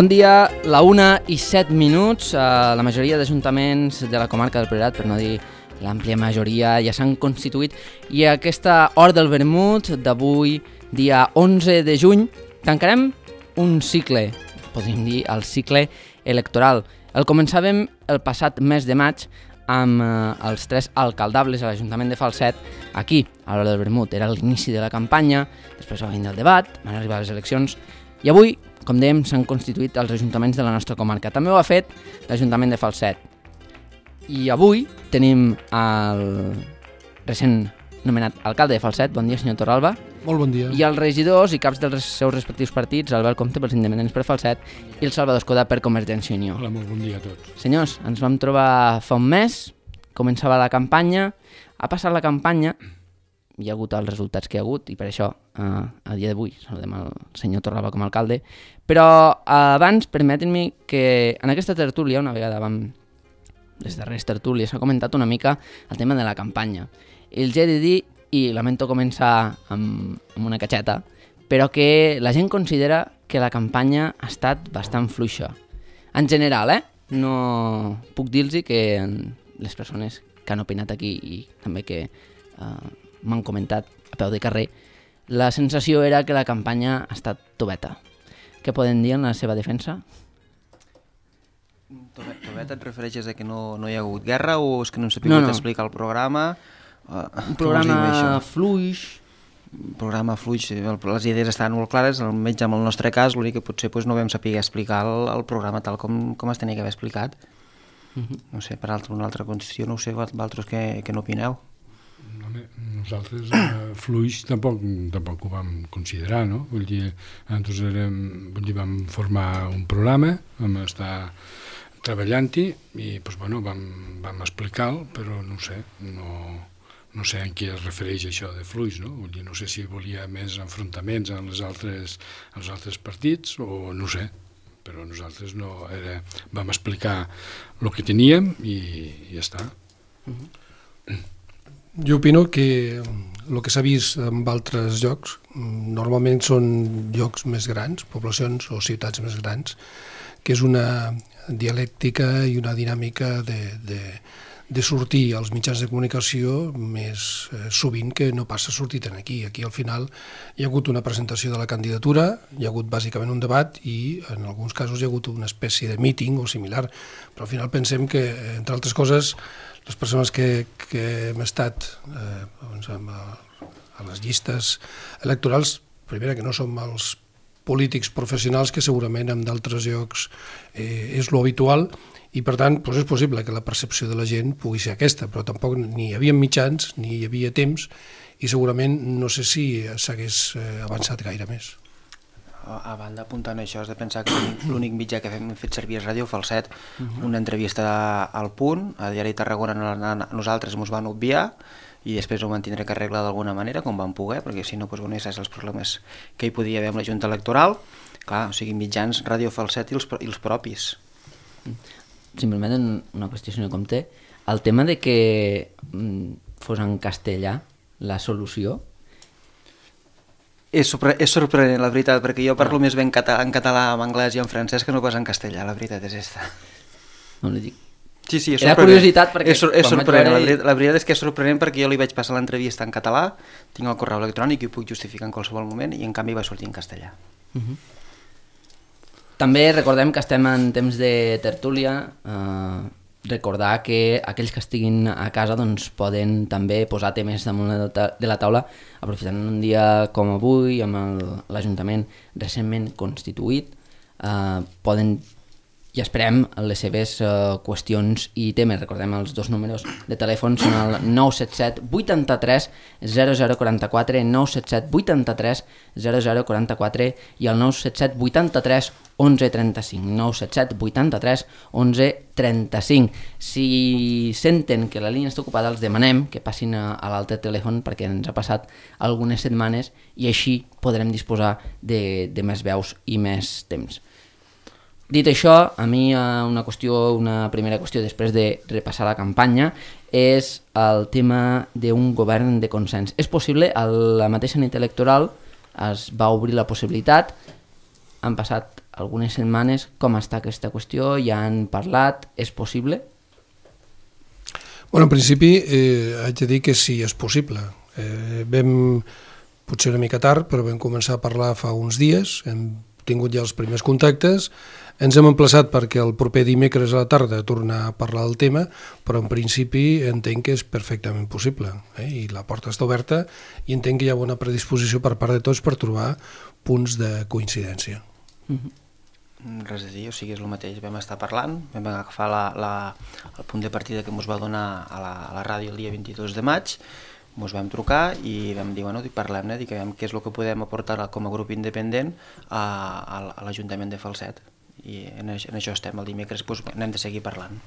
Bon dia, la 1:07. La majoria d'ajuntaments de la comarca del Priorat, per no dir l'àmplia majoria, ja s'han constituït i a aquesta hora del vermut d'avui, dia 11 de juny, tancarem un cicle, podríem dir el cicle electoral. El començàvem el passat mes de maig amb els 3 alcaldables a l'Ajuntament de Falset, aquí, a l'hora del vermut. Era l'inici de la campanya, després va venir el debat, van arribar les eleccions i avui, com dèiem, s'han constituït els ajuntaments de la nostra comarca. També ho ha fet l'Ajuntament de Falset. I avui tenim el recent nomenat alcalde de Falset, bon dia senyor Torralba. Molt bon dia. I els regidors i caps dels seus respectius partits, Albert Comte pels Independents per Falset i el Salvador Escoda per Convergència i Unió. Hola, molt bon dia a tots. Senyors, ens vam trobar fa un mes, començava la campanya, ha passat la campanya, hi ha hagut els resultats que hi ha hagut i per això a dia d'avui saludem el senyor Torralba com a alcalde, però abans permetin-me que en aquesta tertúlia, una vegada vam les darreres tertúlies, s'ha comentat una mica el tema de la campanya. Els he de dir, i lamento començar amb una catxeta, però que la gent considera que la campanya ha estat bastant fluixa. En general, no puc dir-los que les persones que han opinat aquí i també que m'han comentat a peu de carrer, la sensació era que la campanya ha estat tobeta. Què poden dir en la seva defensa? Tobeta et refereixes a que no hi ha hagut guerra o és que no s'ha pogut explicar el programa? Un programa fluix. Un programa fluix, les idees estaven molt clares, almenys en el nostre cas, l'únic que potser no vam saber explicar el programa tal com es tenia que haver explicat. No sé, per una altra qüestió, no ho sé, vosaltres què n'opineu? Nosaltres fluix tampoc ho vam considerar, no? Vull dir, nosaltres vam formar un programa, vam estar treballant-hi i vam explicar-lo, però no sé, no sé en què es refereix això de fluix, no? Vull dir, no sé si volia més enfrontaments amb els altres partits o no sé, però nosaltres vam explicar el que teníem i ja està. Jo opino que el que s'ha vist en altres llocs normalment són llocs més grans, poblacions o ciutats més grans, que és una dialèctica i una dinàmica de sortir als mitjans de comunicació més sovint que no passa sortit aquí. Aquí al final hi ha hagut una presentació de la candidatura, hi ha hagut bàsicament un debat i en alguns casos hi ha hagut una espècie de míting o similar, però al final pensem que, entre altres coses, les persones que hem estat a les llistes electorals, primera que no som els polítics professionals que segurament en d'altres llocs és lo habitual i per tant és possible que la percepció de la gent pugui ser aquesta, però tampoc ni hi havia mitjans ni hi havia temps i segurament no sé si s'hagués avançat gaire més. A banda, apuntant això, has de pensar que l'únic mitjà que hem fet servir és Ràdio Falset, una entrevista al Punt, a Diari Tarragona nosaltres ens van obviar i després ho van tindre que arreglar d'alguna manera, com van poder, perquè si no, saps els problemes que hi podia haver amb la Junta Electoral. Clar, o sigui, mitjans Ràdio Falset i els propis. Si em permeten una qüestió, senyor Comte, el tema de que fos en castellà la solució... És sorprenent, la veritat, perquè jo parlo més bé en català, en anglès i en francès que no pas en castellà, la veritat és esta. No li dic. Sí, és sorprenent. Era curiositat perquè... És sorprenent, la veritat és que és sorprenent perquè jo li vaig passar l'entrevista en català, tinc el correu electrònic i ho puc justificar en qualsevol moment i en canvi va sortir en castellà. També recordem que estem en temps de tertúlia, recordar que aquells que estiguin a casa poden també posar temes damunt de la taula, aprofitant un dia com avui, amb l'Ajuntament recentment constituït, poden, i esperem, les seves qüestions i temes. Recordem els 2 números de telèfon, són el 977 83 0044, 977 83 0044 i el 977 83 1135, 977 83 1135. Si senten que la línia està ocupada, els demanem que passin a l'altre telèfon perquè ens ha passat algunes setmanes i així podrem disposar de més veus i més temps. Dit això, a mi una primera qüestió després de repassar la campanya és el tema d'un govern de consens. És possible, a la mateixa nit electoral es va obrir la possibilitat, han passat algunes setmanes com està aquesta qüestió, ja han parlat, és possible? Bueno, en principi haig de dir que sí, és possible. Vam, potser una mica tard, però vam començar a parlar fa uns dies, hem tingut ja els primers contactes, ens hem emplaçat perquè el proper dimecres a la tarda tornar a parlar del tema, però en principi entenc que és perfectament possible, i la porta està oberta i entenc que hi ha bona predisposició per part de tots per trobar punts de coincidència. Res a dir, o sigui, és el mateix, vam estar parlant, vam agafar el punt de partida que ens va donar a la ràdio el dia 22 de maig, ens vam trucar i vam dir, bueno, parlem-ne, diguem què és el que podem aportar com a grup independent a l'Ajuntament de Falset. I en això estem, el dimecres n'hem de seguir parlant.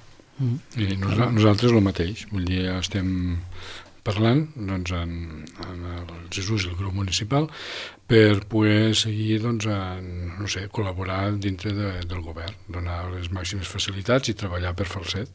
I nosaltres el mateix, vull dir, estem parlant doncs, amb el Jesús i el grup municipal per poder seguir no sé, col·laborar dintre del govern, donar les màximes facilitats i treballar per Falset.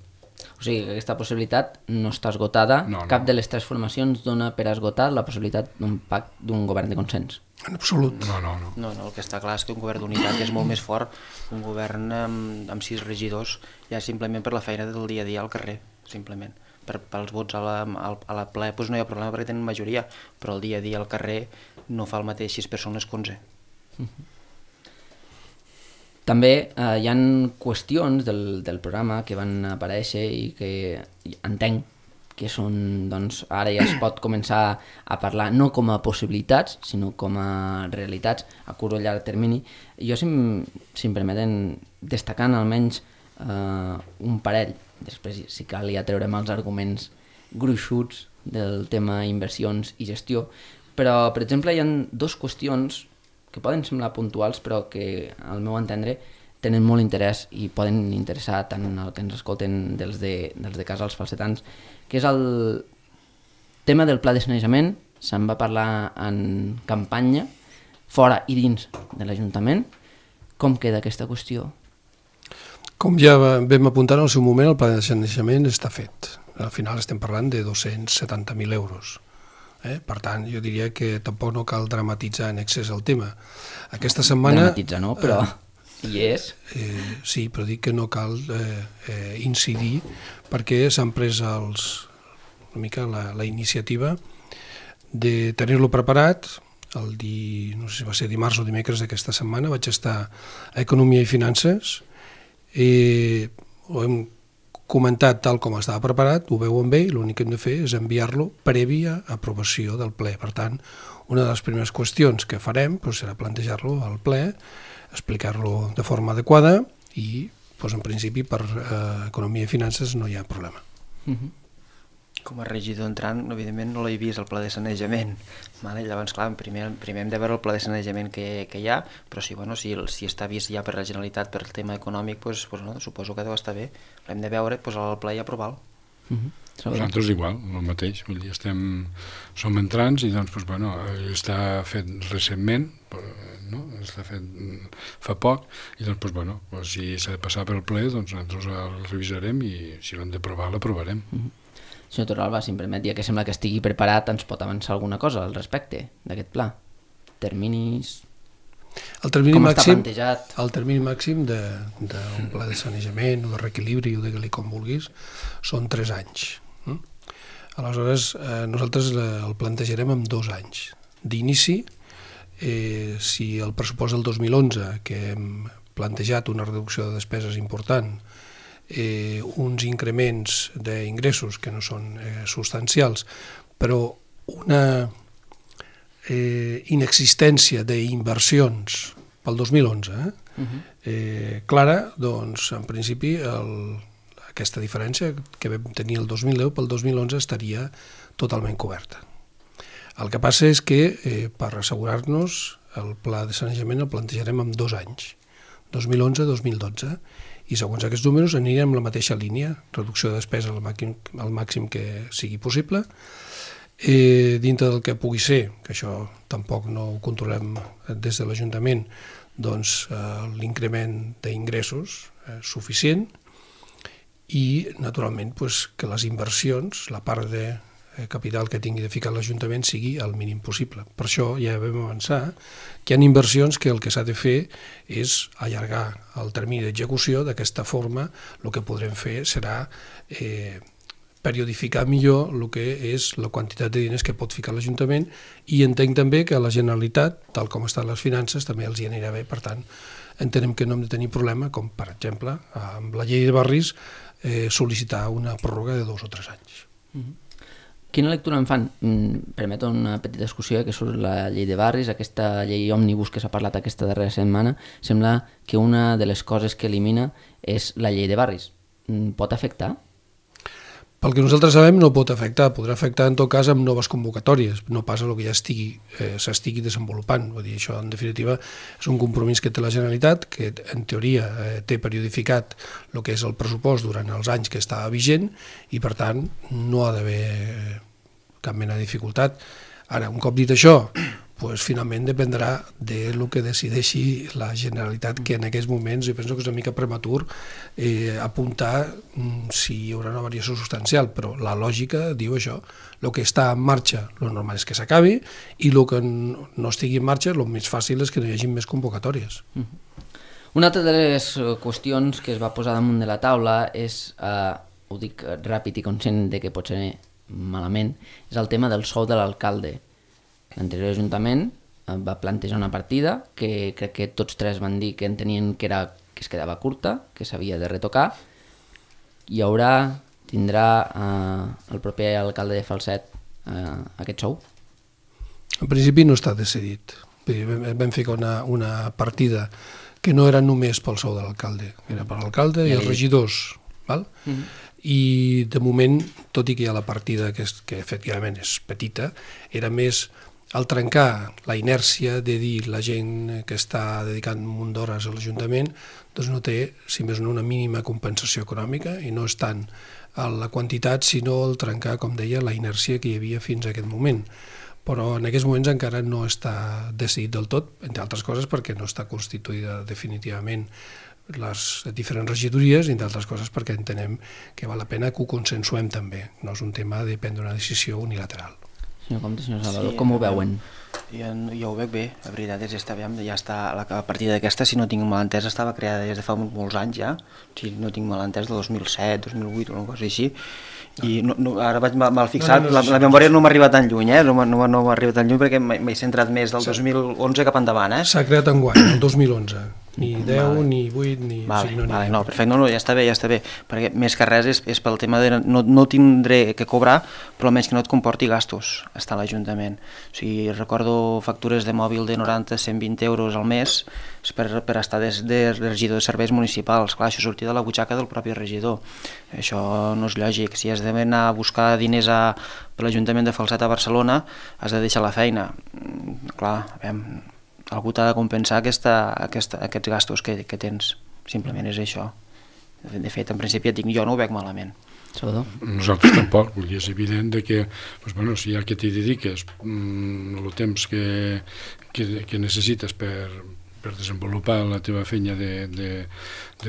O sigui, que aquesta possibilitat no està esgotada, cap de les tres formacions dona per esgotar la possibilitat d'un pacte d'un govern de consens. En absolut. No, el que està clar és que un govern d'unitat és molt més fort que un govern amb 6 regidors, ja simplement per la feina del dia a dia al carrer, simplement. Pels vots a la ple no hi ha problema perquè tenen majoria, però el dia a dia al carrer no fa el mateix 6 persones que 11. També hi ha qüestions del programa que van aparèixer i que entenc que són, doncs, ara ja es pot començar a parlar no com a possibilitats, sinó com a realitats a curt o llarg termini. Jo, si em permeten, destacant almenys un parell, després si cal ja treurem els arguments gruixuts del tema inversions i gestió, però, per exemple, hi ha 2 qüestions que poden semblar puntuals, però que, al meu entendre, tenen molt interès i poden interessar tant el que ens escolten dels de casa als falsetans, que és el tema del pla de sanejament. Se'n va parlar en campanya, fora i dins de l'Ajuntament. Com queda aquesta qüestió? Com ja vam apuntar en el seu moment, el pla de sanejament està fet. Al final estem parlant de 270.000 euros. Per tant, jo diria que tampoc no cal dramatitzar en excés el tema. Aquesta setmana... Dramatitzar no, però hi és. Sí, però dic que no cal incidir perquè s'han pres una mica la iniciativa de tenir-lo preparat. No sé si va ser dimarts o dimecres d'aquesta setmana, vaig estar a Economia i Finances, ho hem comentat tal com estava preparat, ho veuen bé i l'únic que hem de fer és enviar-lo prèvia aprovació del ple. Per tant, una de les primeres qüestions que farem serà plantejar-lo al ple, explicar-lo de forma adequada i, en principi, per Economia i Finances no hi ha problema. Com a regidor entrant, evidentment no l'he vist el pla de sanejament. Llavors, clar, primer hem de veure el pla de sanejament que hi ha, però si està vist ja per la Generalitat per el tema econòmic, suposo que deu estar bé. L'hem de veure, posar al ple i aprovar-lo. Nosaltres igual, el mateix. Vull dir, som entrants i està fet recentment, està fet fa poc, i si s'ha de passar per el ple, nosaltres el revisarem i si l'hem d'aprovar, l'aprovarem. Senyor Torralba, si em permet, ja que sembla que estigui preparat, ens pot avançar alguna cosa al respecte d'aquest pla? Terminis... Com està plantejat? El termini màxim d'un pla de sanejament o de reequilibri, o digue-li com vulguis, són 3 anys. Aleshores, nosaltres el plantejarem en 2 anys. D'inici, si el pressupost del 2011, que hem plantejat una reducció de despeses important, uns increments d'ingressos que no són substancials, però una inexistència d'inversions pel 2011 clara, doncs en principi aquesta diferència que vam tenir el 2010 pel 2011 estaria totalment coberta. El que passa és que per assegurar-nos el pla de sanejament el plantejarem en 2 anys, 2011-2012, i segons aquests números anirem en la mateixa línia, reducció de despesa al màxim que sigui possible, dintre del que pugui ser, que això tampoc no ho controlem des de l'Ajuntament, doncs l'increment d'ingressos suficient i, naturalment, que les inversions, la part capital que tingui de ficar l'Ajuntament sigui el mínim possible. Per això ja vam avançar que hi ha inversions que el que s'ha de fer és allargar el termini d'execució. D'aquesta forma el que podrem fer serà periodificar millor el que és la quantitat de diners que pot ficar l'Ajuntament, i entenc també que a la Generalitat, tal com estan les finances, també els hi anirà bé. Per tant, entenem que no hem de tenir problema, com per exemple amb la llei de barris, sol·licitar una pròrroga de 2 o 3 anys. Quina lectura en fan? Permeto una petita discussió, que surt la llei de barris, aquesta llei òmnibus que s'ha parlat aquesta darrera setmana. Sembla que una de les coses que elimina és la llei de barris. Pot afectar? Pel que nosaltres sabem, no pot afectar. Podrà afectar en tot cas amb noves convocatòries, no pas a el que ja s'estigui desenvolupant. Vull dir, això en definitiva és un compromís que té la Generalitat, que en teoria té periodificat el que és el pressupost durant els anys que està vigent, i per tant no ha d'haver cap mena de dificultat. Ara, un cop dit això, doncs finalment dependrà del que decideixi la Generalitat, que en aquests moments jo penso que és una mica prematur apuntar si hi haurà una variació substancial, però la lògica diu això. El que està en marxa, el normal és que s'acabi, i el que no estigui en marxa, el més fàcil és que no hi hagi més convocatòries. Una altra de les qüestions que es va posar damunt de la taula és, ho dic ràpid i conscient de que pot ser malament, és el tema del sou de l'alcalde. L'anterior Ajuntament va plantejar una partida que crec que tots tres van dir que entenien que es quedava curta, que s'havia de retocar. Tindrà el proper alcalde de Falset aquest sou? En principi no està decidit. Vam ficar una partida que no era només pel sou de l'alcalde, era per l'alcalde i els regidors. I de moment, tot i que hi ha la partida que efectivament és petita, era més al trencar la inèrcia de dir la gent que està dedicant un munt d'hores a l'Ajuntament, doncs no té, si més no, una mínima compensació econòmica, i no és tant la quantitat, sinó el trencar, com deia, la inèrcia que hi havia fins a aquest moment. Però en aquests moments encara no està decidit del tot, entre altres coses perquè no està constituïda definitivament les diferents regidories, i entre altres coses perquè entenem que val la pena que ho consensuem també. No és un tema de prendre una decisió unilateral. Senyor Comte, senyor Salvador, com ho veuen? Jo ho veig bé, la veritat és que ja està, la partida d'aquesta, si no tinc mal entès, estava creada des de fa molts anys ja, si no tinc mal entès, de 2007, 2008 o una cosa així, i ara vaig mal fixar, la memòria no m'arriba tan lluny, no m'arriba tan lluny perquè m'he centrat més del 2011 cap endavant. S'ha creat enguany, el 2011. Ni 10, ni 8, ni... No, perfecte, ja està bé, perquè més que res és pel tema de no tindré que cobrar, però almenys que no et comporti gastos estar a l'Ajuntament. O sigui, recordo factures de mòbil de 90, 120 euros al mes per estar de regidor de serveis municipals. Clar, això sortia de la butxaca del propi regidor. Això no és lògic. Si has d'anar a buscar diners per l'Ajuntament de Falset a Barcelona, has de deixar la feina. Clar, algú t'ha de compensar aquests gastos que tens. Simplement és això. De fet, en principi jo no ho veig malament. Salvador? Nosaltres tampoc. Vull dir, és evident que si ja que t'hi dediques el temps que necessites per desenvolupar la teva feina de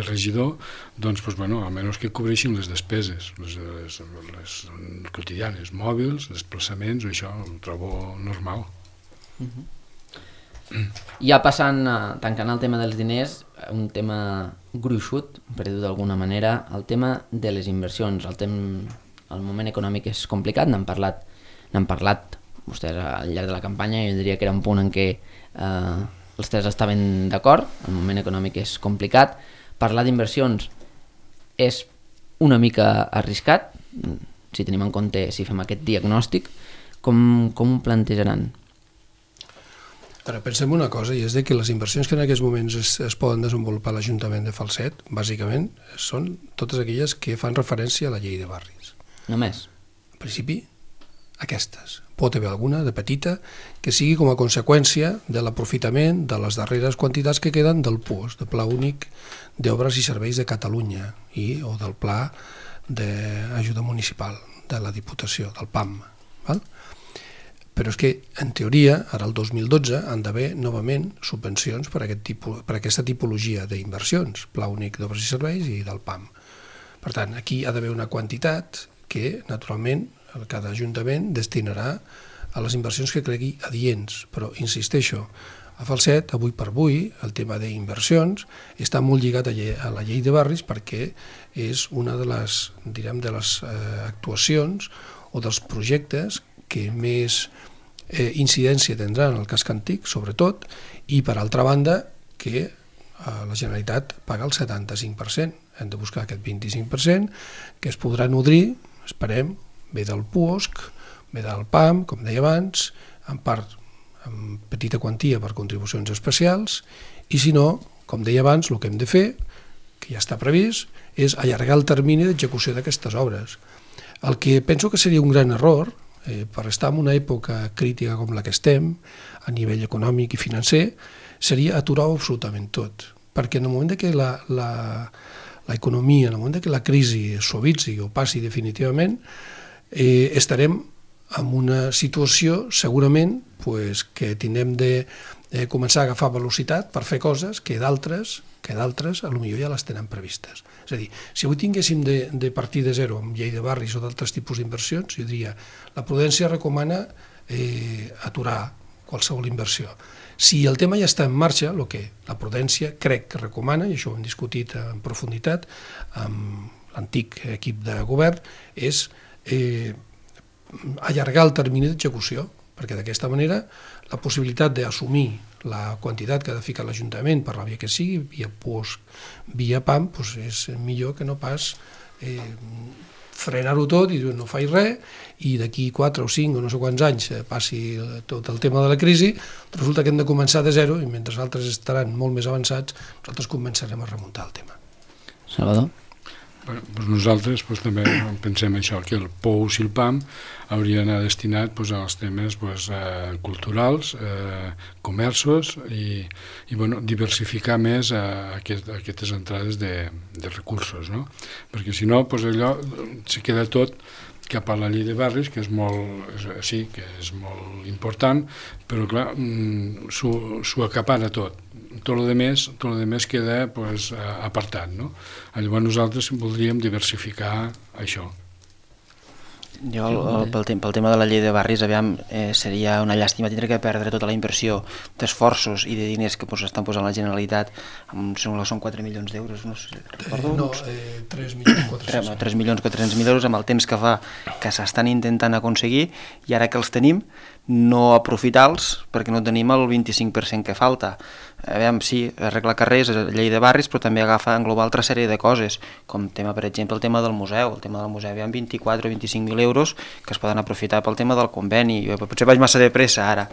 regidor, doncs, almenys que cobreixin les despeses, les quotidianes, mòbils, desplaçaments, això ho trobo normal. Ja passant, tancant el tema dels diners, un tema gruixut, per dir-ho d'alguna manera, el tema de les inversions. El moment econòmic és complicat, n'han parlat vostès al llarg de la campanya, jo diria que era un punt en què els tres estaven d'acord, el moment econòmic és complicat. Parlar d'inversions és una mica arriscat, si tenim en compte, si fem aquest diagnòstic, com ho plantejaran? Ara, pensem una cosa, i és que les inversions que en aquests moments es poden desenvolupar a l'Ajuntament de Falset, bàsicament, són totes aquelles que fan referència a la llei de barris. Només? En principi, aquestes. Pot haver alguna de petita que sigui com a conseqüència de l'aprofitament de les darreres quantitats que queden del PUOS, del Pla Únic d'Obres i Serveis de Catalunya, o del Pla d'Ajuda Municipal de la Diputació, del PAM. Però és que, en teoria, ara el 2012 han d'haver novament subvencions per aquesta tipologia d'inversions, Pla Únic d'Obres i Serveis i del PAM. Per tant, aquí ha d'haver una quantitat que, naturalment, cada ajuntament destinarà a les inversions que cregui adients, però insisteixo, a Falset, avui per avui, el tema d'inversions està molt lligat a la llei de barris perquè és una de les, direm, de les actuacions o dels projectes que més incidència tindran en el casc antic, sobretot, i per altra banda que la Generalitat paga el 75%. Hem de buscar aquest 25% que es podrà nodrir, esperem, bé del PUOSC, bé del PAM, com deia abans, en part amb petita quantia per contribucions especials, i si no, com deia abans, el que hem de fer, que ja està previst, és allargar el termini d'execució d'aquestes obres. El que penso que seria un gran error, per estar en una època crítica com la que estem, a nivell econòmic i financer, seria aturar absolutament tot. Perquè en el moment que l'economia, en el moment que la crisi suavitzi o passi definitivament, estarem en una situació segurament que tindrem de començar a agafar velocitat per fer coses que d'altres potser ja les tenen previstes. És a dir, si avui tinguéssim de partir de zero amb llei de barris o d'altres tipus d'inversions, jo diria la prudència recomana aturar qualsevol inversió. Si el tema ja està en marxa, el que la prudència crec que recomana, i això ho hem discutit en profunditat amb l'antic equip de govern, és allargar el termini d'execució, perquè d'aquesta manera la possibilitat d'assumir la quantitat que ha de ficar l'Ajuntament per la via que sigui, via PUOSC, via PAM, és millor que no pas frenar-ho tot i dir no faig res, i d'aquí 4 o 5 o no sé quants anys passi tot el tema de la crisi, resulta que hem de començar de zero i mentre altres estaran molt més avançats, nosaltres començarem a remuntar el tema. Salvador? Doncs nosaltres també pensem això, que el POUS i el PAM hauria d'anar destinat als temes culturals, comerços i diversificar més aquestes entrades de recursos, no? Perquè si no, allò se queda tot cap a la llei de barris, que és molt important, però clar, s'ho acapara tot. Tot el demés queda apartat, no? Llavors nosaltres voldríem diversificar això. Jo, pel tema de la llei de barris, seria una llàstima tindre que perdre tota la inversió d'esforços i de diners que estan posant la Generalitat, són 4 milions d'euros, no sé, recordo? No, 3.400.000 euros amb el temps que fa que s'estan intentant aconseguir i ara que els tenim no aprofitar-los perquè no tenim el 25% que falta. Sí, arreglar carrers, llei de barris, però també englobar altra sèrie de coses, com per exemple el tema del museu. El tema del museu hi ha 24 o 25.000 euros que es poden aprofitar pel tema del conveni. Potser vaig massa de pressa ara.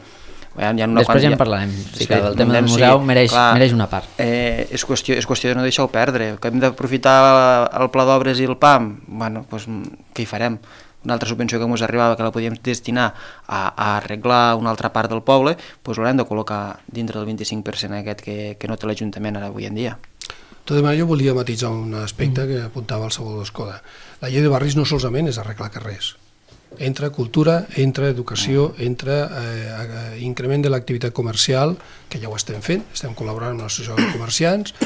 Després ja en parlarem. El tema del museu mereix una part. És qüestió de no deixar-ho perdre. Que hem d'aprofitar el pla d'obres i el PAM? Què hi farem? Una altra subvenció que ens arribava que la podíem destinar a arreglar una altra part del poble, l'haurem de col·locar dintre del 25% aquest que no té l'Ajuntament ara avui en dia. De tota manera, jo volia matisar un aspecte que apuntava el Salvador Escoda. La llei de barris no solament és arreglar carrers. Entra cultura, entra educació, entra increment de l'activitat comercial, que ja ho estem fent, estem col·laborant amb l'associació de comerciants,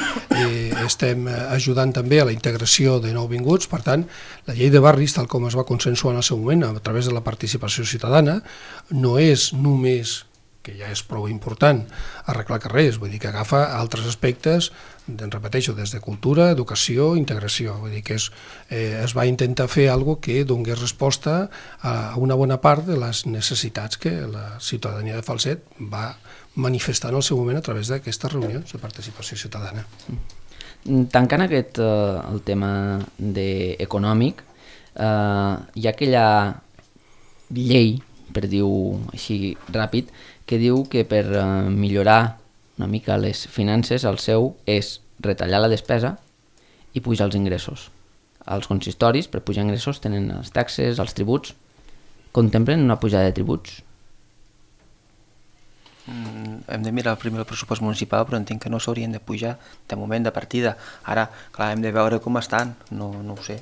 estem ajudant també a la integració de nouvinguts. Per tant, la llei de barris, tal com es va consensuar en el seu moment a través de la participació ciutadana, no és només, que ja és prou important, arreglar carrers, vull dir que agafa altres aspectes, repeteixo, des de cultura, educació, integració, vull dir que es va intentar fer alguna cosa que donés resposta a una bona part de les necessitats que la ciutadania de Falset va manifestar en el seu moment a través d'aquestes reunions de participació ciutadana. Tancant el tema econòmic, hi ha aquella llei, per dir-ho així ràpid, que diu que per millorar una mica les finances el seu és retallar la despesa i pujar els ingressos. Els consistoris, per pujar ingressos, tenen les taxes, els tributs. Contemplen una pujada de tributs? Hem de mirar primer el pressupost municipal, però entenc que no s'haurien de pujar de moment, de partida. Ara, clar, hem de veure com estan, no ho sé.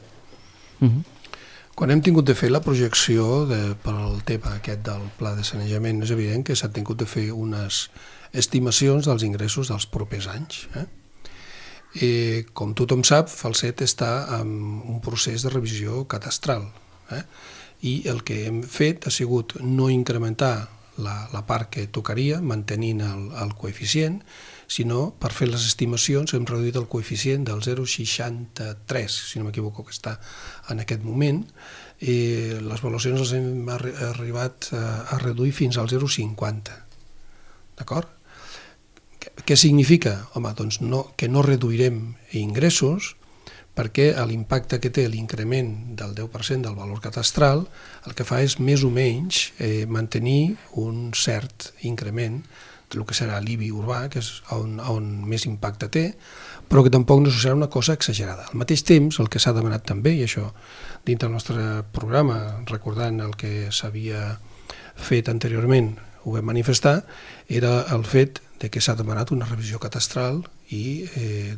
Quan hem tingut de fer la projecció pel tema aquest del pla de sanejament, és evident que s'ha tingut de fer unes estimacions dels ingressos dels propers anys. Com tothom sap, Falset està en un procés de revisió catastral i el que hem fet ha sigut no incrementar la part que tocaria, mantenint el coeficient, sinó per fer les estimacions hem reduït el coeficient del 0,63, si no m'equivoco, que està en aquest moment. Les avaluacions les hem arribat a reduir fins al 0,50. D'acord? Què significa? Home, doncs que no reduirem ingressos, perquè l'impacte que té l'increment del 10% del valor catastral el que fa és més o menys mantenir un cert increment del que serà l'IBI urbà, que és on més impacte té, però que tampoc no serà una cosa exagerada. Al mateix temps, el que s'ha demanat també, i això dins del nostre programa, recordant el que s'havia fet anteriorment, ho vam manifestar, era el fet de que s'ha demanat una revisió catastral i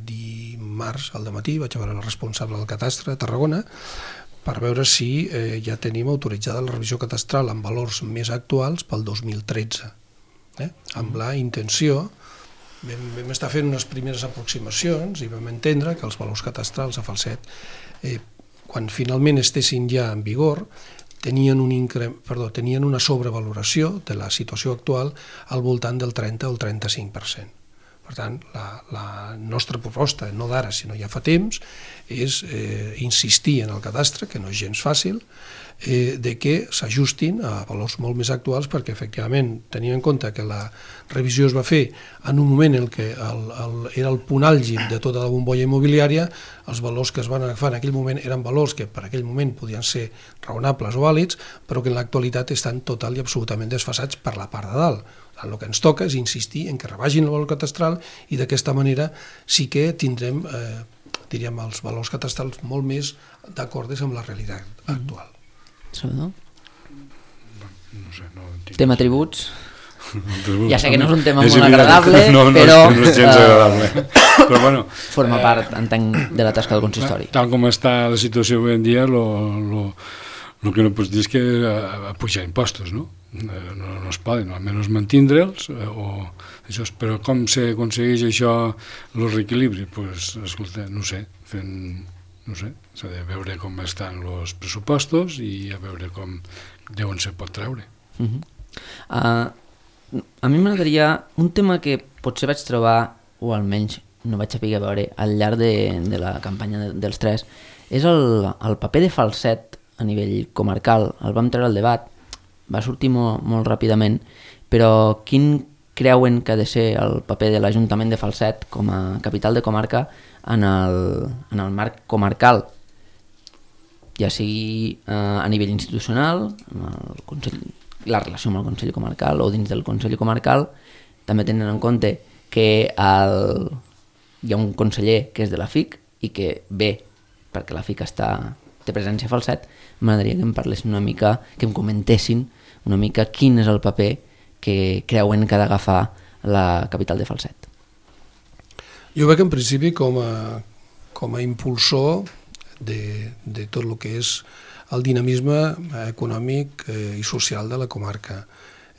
dimarts al dematí vaig a veure el responsable del catastre de Tarragona per veure si ja tenim autoritzada la revisió catastral amb valors més actuals pel 2013. Amb la intenció, vam estar fent unes primeres aproximacions i vam entendre que els valors catastrals a Falset, quan finalment estessin ja en vigor, tenien una sobrevaloració de la situació actual al voltant del 30 o el 35%. Per tant, la nostra proposta, no d'ara, sinó ja fa temps, és insistir en el cadastre, que no és gens fàcil, de que s'ajustin a valors molt més actuals perquè, efectivament, tenint en compte que la revisió es va fer en un moment en què era el punt àlgid de tota la bombolla immobiliària, els valors que es van agafar en aquell moment eren valors que per aquell moment podien ser raonables o vàlids, però que en l'actualitat estan total i absolutament desfasats per la part de dalt. El que ens toca és insistir en que rebagin el valor catastral i d'aquesta manera sí que tindrem diríem, els valors catastrals molt més d'acordes amb la realitat actual. Salvador? No sé, no entenc. Tema tributs? Ja sé que no és un tema molt agradable, però... No és gens agradable. Però bueno... Forma part, entenc, de la tasca del consistori. Tal com està la situació avui en dia, el que no pots dir és que pujar impostos, no? No es poden, almenys mantindre'ls, però com s'aconsegueix això, el reequilibri? Doncs, escolta, no sé, s'ha de veure com estan els pressupostos i a veure d'on se pot treure. A mi m'agradaria un tema que potser vaig trobar, o almenys no vaig saber veure al llarg de la campanya dels tres, és el paper de Falset a nivell comarcal. El vam treure al debat, va sortir molt ràpidament, però quin creuen que ha de ser el paper de l'Ajuntament de Falset com a capital de comarca en el marc comarcal, ja sigui a nivell institucional, la relació amb el Consell Comarcal o dins del Consell Comarcal, també tenen en compte que hi ha un conseller que és de la FIC i que ve perquè la FIC té presència a Falset. M'agradaria que em parlessin una mica, que em comentessin una mica quin és el paper que creuen que ha d'agafar la capital de Falset. Jo veig en principi com a impulsor de tot el que és el dinamisme econòmic i social de la comarca.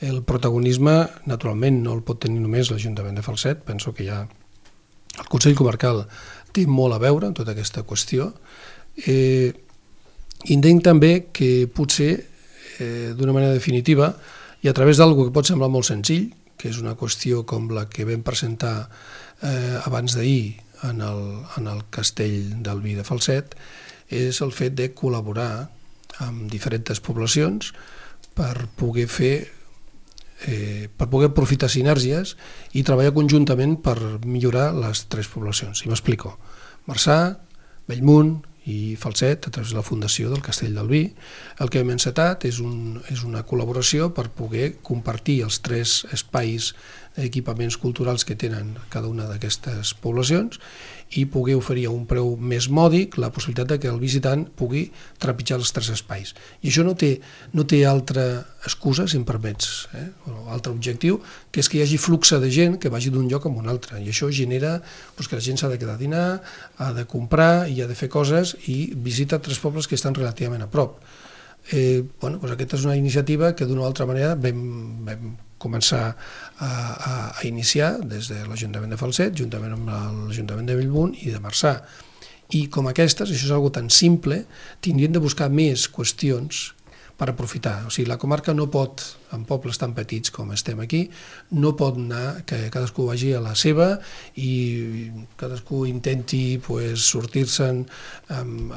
El protagonisme, naturalment, no el pot tenir només l'Ajuntament de Falset, penso que ja el Consell Comarcal té molt a veure en tota aquesta qüestió. Entenc també que potser, d'una manera definitiva, i a través d'alguna que pot semblar molt senzill, que és una qüestió com la que vam presentar abans d'ahir en el Castell del Vi de Falset, és el fet de col·laborar amb diferents poblacions per poder aprofitar sinergies i treballar conjuntament per millorar les tres poblacions. I m'explico. Marçà, Bellmunt i Falset, a través de la Fundació del Castell del Vi, el que hem encetat és una col·laboració per poder compartir els tres espais equipaments culturals que tenen cada una d'aquestes poblacions i poder oferir a un preu més mòdic la possibilitat que el visitant pugui trepitjar els tres espais. I això no té altra excusa, si em permets, o altre objectiu, que és que hi hagi flux de gent que vagi d'un lloc a un altre. I això genera que la gent s'ha de quedar a dinar, ha de comprar i ha de fer coses i visita tres pobles que estan relativament a prop. Aquesta és una iniciativa que d'una o altra manera vam començar a iniciar des de l'Ajuntament de Falset, juntament amb l'Ajuntament de Bellmunt i de Marçà. I com aquestes, això és una cosa tan simple, tindrien de buscar més qüestions per aprofitar. O sigui, la comarca no pot, en pobles tan petits com estem aquí, no pot anar que cadascú vagi a la seva i cadascú intenti sortir-se'n amb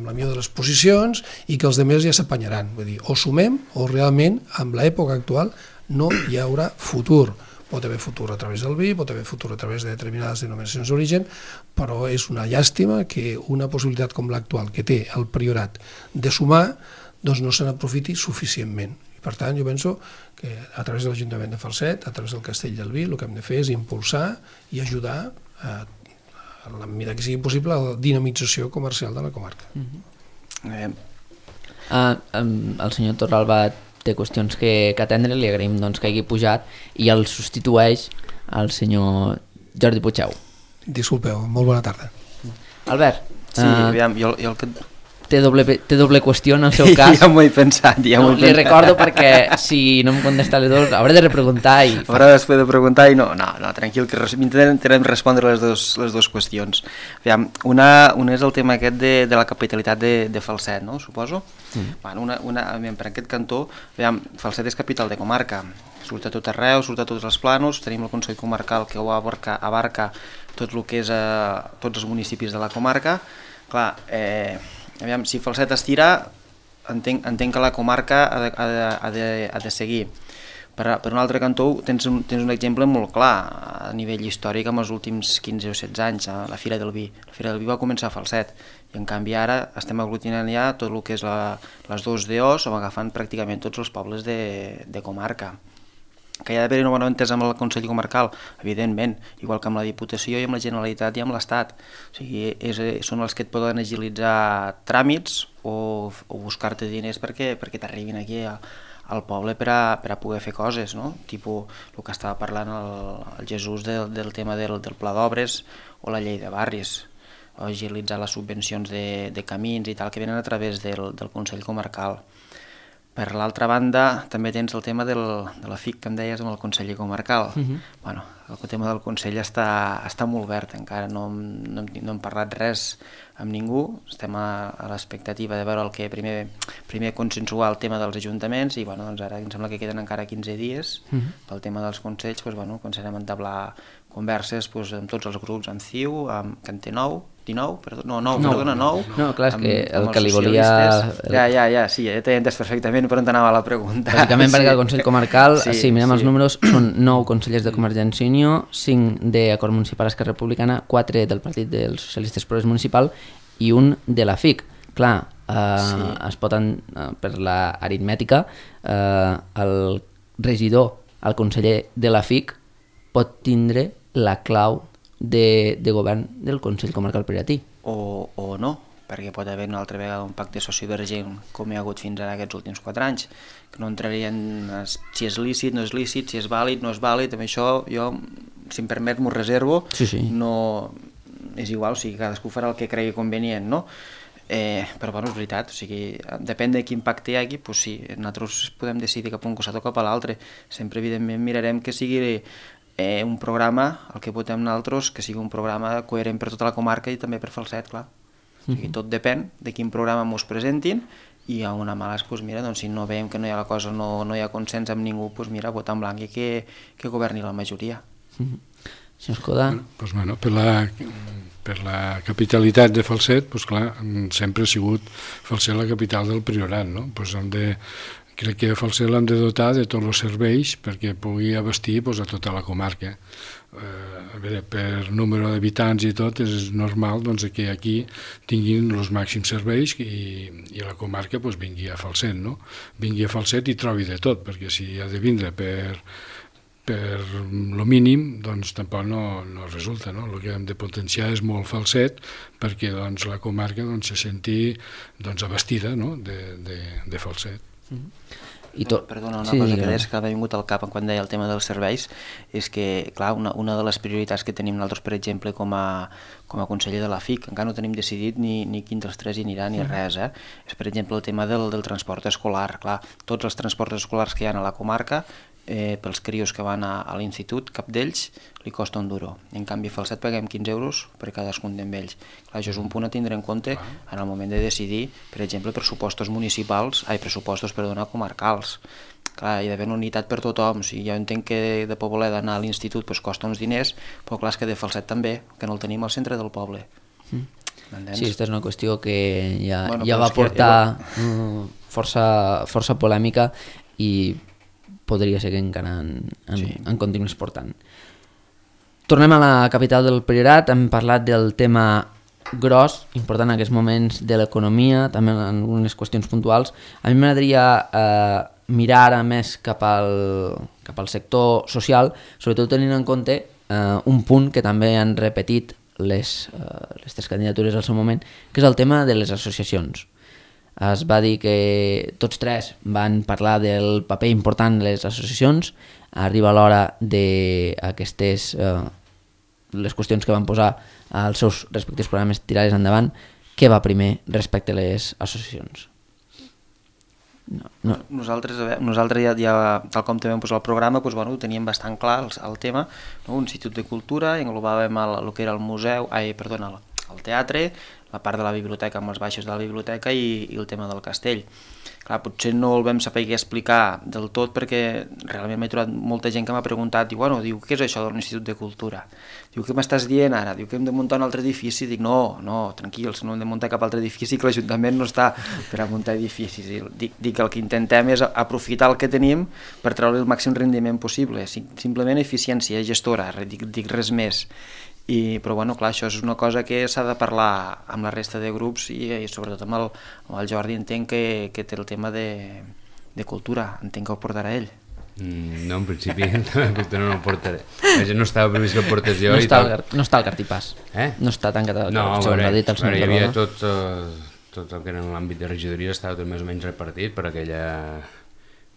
la millor de les posicions i que els altres ja s'apanyaran. Vull dir, o sumem o realment, amb l'època actual, no hi haurà futur. Pot haver futur a través del vi, pot haver futur a través de determinades denominacions d'origen, però és una llàstima que una possibilitat com l'actual, que té el Priorat de sumar, doncs no se n'aprofiti suficientment. I per tant, jo penso que a través de l'Ajuntament de Falset, a través del Castell del Vi, el que hem de fer és impulsar i ajudar, en la mesura que sigui possible, a la dinamització comercial de la comarca. El senyor Torralba té qüestions que atendre, li agraïm que hagi pujat i el substitueix el senyor Jordi Puigdeu. Disculpeu, molt bona tarda. Albert, sí, aviam, jo el que... té doble qüestió en el seu cas. Ja m'ho he pensat, Li recordo perquè si no em contesta les dues hauré de repreguntar i... Haurà després de preguntar i no, tranquil, que intentarem respondre les dues qüestions. Aviam, una és el tema aquest de la capitalitat de Falset, no? Suposo. Bueno, per aquest cantó, aviam, Falset és capital de comarca, surt a tot arreu, surt a tots els plànols, tenim el Consell Comarcal que ho abarca tot el que és tots els municipis de la comarca. Clar, aviam, si Falset estira, entenc que la comarca ha de seguir. Per un altre cantó tens un exemple molt clar a nivell històric amb els últims 15 o 16 anys, la Fira del Vi. La Fira del Vi va començar a Falset i en canvi ara estem aglutinant ja tot el que és les 2 DOs o agafant pràcticament tots els pobles de comarca. Que hi ha d'haver una bona entesa amb el Consell Comarcal, evidentment, igual que amb la Diputació i amb la Generalitat i amb l'Estat. O sigui, són els que et poden agilitzar tràmits o buscar-te diners perquè t'arribin aquí al poble per a poder fer coses, no? Tipus el que estava parlant el Jesús del tema del pla d'obres o la llei de barris, o agilitzar les subvencions de camins i tal que venen a través del Consell Comarcal. Per l'altra banda, també tens el tema de la FIC, que em deies, amb el conseller comarcal. Bueno, el tema del consell està molt verd, encara no hem parlat res amb ningú, estem a l'expectativa de veure el que primer consensuar el tema dels ajuntaments i bueno, doncs ara em sembla que queden encara 15 dies pel tema dels consells, doncs, bueno, començarem a entablar converses amb tots els grups, amb CiU, amb Cante 9, No, clar, és que el que li volia... Sí, ja t'he entès perfectament per on anava la pregunta. Bàsicament perquè el Consell Comarcal, si mirem els números, són 9 consellers de Convergència i Unió, 5 d'Acord Municipal Esquerra Republicana, 4 del Partit dels Socialistes Progrés Municipal i 1 de la FIC. Clar, es poden, per l'aritmètica, el regidor, el conseller de la FIC, pot tindre la clau de govern del Consell Comarcal Piratí. O no, perquè pot haver una altra vegada un pacte sociovergent com hi ha hagut fins ara aquests últims 4 anys, que no entrarien si és lícit, no és lícit, si és vàlid, no és vàlid, amb això jo, si em permet, m'ho reservo, no és igual, o sigui, cadascú farà el que cregui convenient, no? Però bueno, és veritat, o sigui, depèn de quin pacte hi hagi, doncs sí, nosaltres podem decidir cap a un costat o cap a l'altre, sempre evidentment mirarem que sigui un programa, el que votem nosaltres, que sigui un programa coherent per tota la comarca i també per Falset, clar. O sigui, tot depèn de quin programa mos presentin i a una mala, doncs mira, doncs si no veiem que no hi ha la cosa, no hi ha consens amb ningú, doncs mira, votar en blanc i que governi la majoria. Senyor Escoda? Doncs bueno, per la capitalitat de Falset, doncs clar, sempre ha sigut Falset la capital del Priorat, no? Doncs crec que a Falset l'hem de dotar de tots els serveis perquè pugui abastir a tota la comarca. A veure, per número d'habitants i tot és normal que aquí tinguin els màxims serveis i la comarca vingui a Falset, no? Vingui a Falset i trobi de tot, perquè si ha de vindre per lo mínim, doncs tampoc no resulta, no? El que hem de potenciar és molt Falset perquè la comarca se senti abastida de Falset. Perdona, una cosa que deies que m'ha vingut al cap quan deia el tema dels serveis és que, clar, una de les prioritats que tenim nosaltres, per exemple, com com a conseller de la FIC, encara no tenim decidit ni quin dels tres hi anirà ni res. És, per exemple, el tema del transport escolar. Clar, tots els transports escolars que hi ha a la comarca, pels crios que van a l'institut, cap d'ells li costa €1. En canvi, a Falset paguem 15 euros per cadascun d'ells. Clar, això és un punt a tindre en compte en el moment de decidir, per exemple, pressupostos comarcals. Clar, hi ha d'haver una unitat per tothom. O sigui, jo entenc que de Poboleda anar a l'institut costa uns diners, però clar, és que de Falset també, que no el tenim al centre del poble. Sí, aquesta és una qüestió que ja va portar força polèmica i podria ser que encara en continuïs portant. Tornem a la capital del Priorat, hem parlat del tema gros, important en aquests moments de l'economia, també en algunes qüestions puntuals. A mi m'agradaria mirar ara més cap al sector social, sobretot tenint en compte un punt que també han repetit les tres candidatures al seu moment, que és el tema de les associacions. Es va dir que tots tres van parlar del paper important de les associacions, arriba l'hora d'aquestes les qüestions que van posar als seus respectius programes tirar-les endavant. Què va primer respecte a les associacions? No. Nosaltres ja, tal com també vam posar el programa, doncs, ho teníem bastant clar el tema, no? Un institut de cultura, englobàvem el que era el museu, el teatre, la part de la biblioteca amb els baixos de la biblioteca i el tema del castell. Clar, potser no el vam saber explicar del tot perquè realment m'he trobat molta gent que m'ha preguntat, diu, què és això de l'Institut de Cultura? Diu, què m'estàs dient ara? Diu que hem de muntar un altre edifici? Dic, no, tranquils, no hem de muntar cap altre edifici, que l'Ajuntament no està per a muntar edificis. Dic que el que intentem és aprofitar el que tenim per treure el màxim rendiment possible, simplement eficiència gestora, dic res més. Però clar, això és una cosa que s'ha de parlar amb la resta de grups i sobretot amb el Jordi. Entenc que té el tema de cultura, entenc que ho portarà ell. No, en principi no el portaré. No estava previst que el portés jo. No està al cartipàs. No està tancat al cartipàs. No, hi havia tot el que era en l'àmbit de regidoria, estava tot més o menys repartit per aquell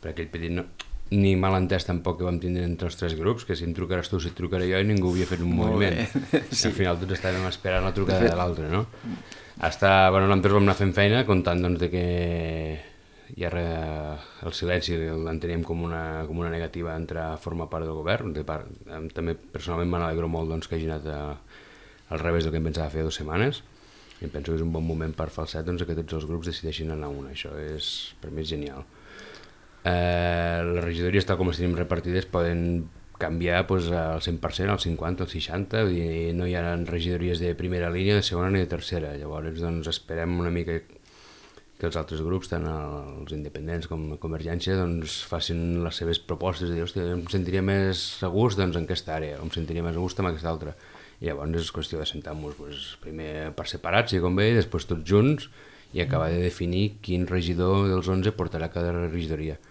petit... Ni mal entès tampoc que vam tindre entre els tres grups, que si em trucaràs tu, si et trucaré jo, i ningú havia fet un moviment. Sí. Al final tots estàvem esperant la trucada de l'altre, no? Nosaltres vam anar fent feina comptant de que el silenci l'enteníem com una negativa entrar a formar part del govern. També personalment m'alegro molt que hagi anat al revés del que em pensava fer 2 setmanes, i em penso que és un bon moment per Falset que tots els grups decideixin anar a una. Això per mi és genial. Les regidories, tal com les tenim repartides, poden canviar al 100%, al 50%, al 60%, i no hi ha regidories de primera línia, de segona ni de tercera. Llavors esperem una mica que els altres grups, tant els independents com la Convergència, facin les seves propostes de dir, hòstia, em sentiria més a gust en aquesta àrea, em sentiria més a gust en aquesta altra. I llavors és qüestió de sentar-nos primer per separat, si convé, i després tots junts, i acabar de definir quin regidor dels 11 portarà cada regidoria.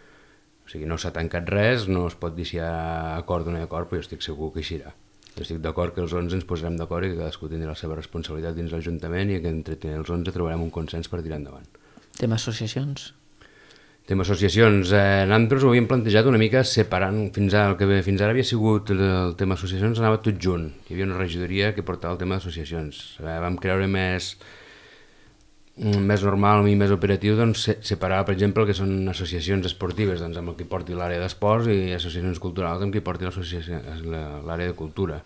O sigui, no s'ha tancat res, no es pot dir si hi ha acord o no hi ha acord, però jo estic segur que així serà. Jo estic d'acord que els 11 ens posarem d'acord i que cadascú tindrà la seva responsabilitat dins l'Ajuntament i que entre els 11 trobarem un consens per tirar endavant. Tema associacions? Tema associacions. Nosaltres ho havíem plantejat una mica separant. Fins ara havia sigut el tema associacions, anava tot junt. Hi havia una regidoria que portava el tema d'associacions. Vam creure més normal i més operatiu separar, per exemple, el que són associacions esportives amb el que porti l'àrea d'esports i associacions culturals amb qui porti l'àrea de cultura.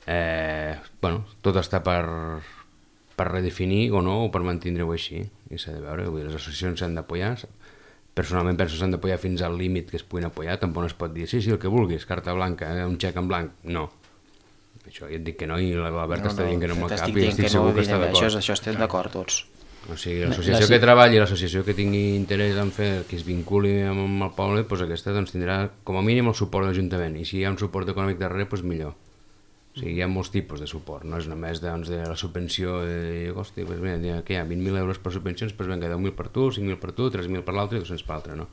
Tot està per redefinir o no, o per mantenir-ho així, i s'ha de veure. Les associacions s'han d'apoyar, personalment penso que s'han d'apoyar fins al límit que es puguin apoyar. Tampoc no es pot dir sí, el que vulguis, carta blanca, un xec en blanc, no. Això ja et dic que no, i l'Albert està dient que no amb el cap i estic segur que està d'acord. Això estem d'acord tots. O sigui, l'associació que treballi, l'associació que tingui interès en fer, que es vinculi amb el poble, aquesta tindrà com a mínim el suport de l'Ajuntament, i si hi ha un suport econòmic darrere, millor. O sigui, hi ha molts tipus de suport, no és només de la subvenció de dir, hòstia, que hi ha 20.000 euros per subvencions, vinga, 10.000 per tu, 5.000 per tu, 3.000 per l'altre i 200 per l'altre, no?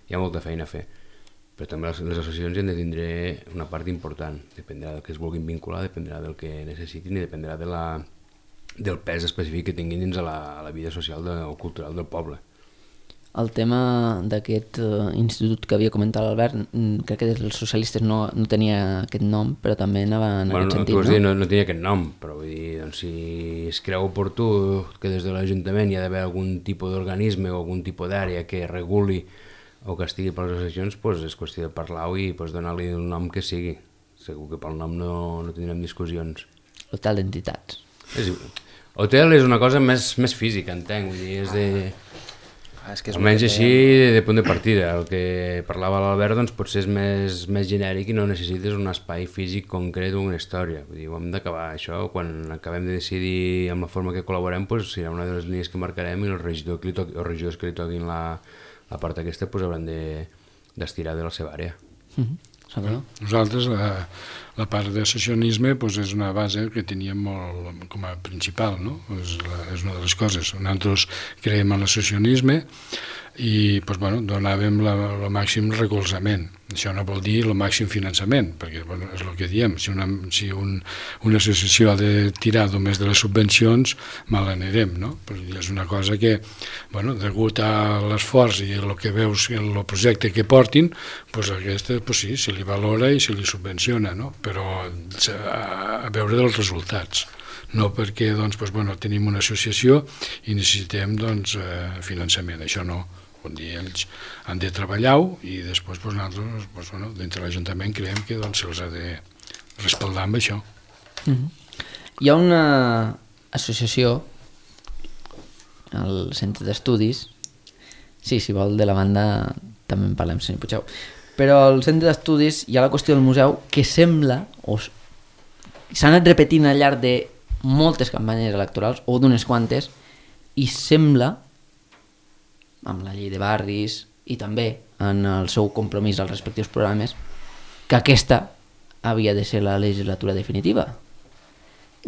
Hi ha molta feina a fer. Però també les associacions hi han de tindre una part important, dependrà del que es vulguin vincular, dependrà del que necessitin i dependrà del pes específic que tinguin dins a la vida social o cultural del poble. El tema d'aquest institut que havia comentat l'Albert, crec que els socialistes no tenia aquest nom, però també anava en aquest sentit, tu has dit, no tenia aquest nom, però vull dir, doncs, si es creu oportú que des de l'Ajuntament hi ha d'haver algun tipus d'organisme o algun tipus d'àrea que reguli o que estigui per les associacions, doncs és qüestió de parlar-ho i donar-li el nom que sigui. Segur que pel nom no tindrem discussions. Hotel d'entitats. Hotel és una cosa més física, entenc, vull dir, és de... Almenys així, de punt de partida. El que parlava l'Albert doncs, potser és més genèric i no necessites un espai físic concret o una història. Vull dir, ho hem d'acabar això. Quan acabem de decidir amb la forma que col·laborem, doncs, serà una de les línies que marcarem i els regidors que li toquin la part aquesta hauran d'estirar de la seva àrea. Nosaltres la part d'associacionisme és una base que teníem molt com a principal, no? És una de les coses. Nosaltres creiem en l'associacionisme i donàvem el màxim recolzament. Això no vol dir el màxim finançament, perquè és el que diem, si una associació ha de tirar només de les subvencions, mal anirem, no? És una cosa que, degut a l'esforç i el que veus en el projecte que portin, aquesta, sí, se li valora i se li subvenciona, no? Però a veure dels resultats. No perquè tenim una associació i necessitem finançament, això no. Ells han de treballar-ho i després nosaltres, dintre l'Ajuntament, creiem que se'ls ha de respaldar amb això. Hi ha una associació al centre d'estudis, sí, si vol de la banda també en parlem, senyor Puigdeu, però al centre d'estudis hi ha la qüestió del museu que sembla, o s'ha anat repetint al llarg de moltes campanyes electorals o d'unes quantes, i sembla, amb la llei de barris i també en el seu compromís als respectius programes, que aquesta havia de ser la legislatura definitiva.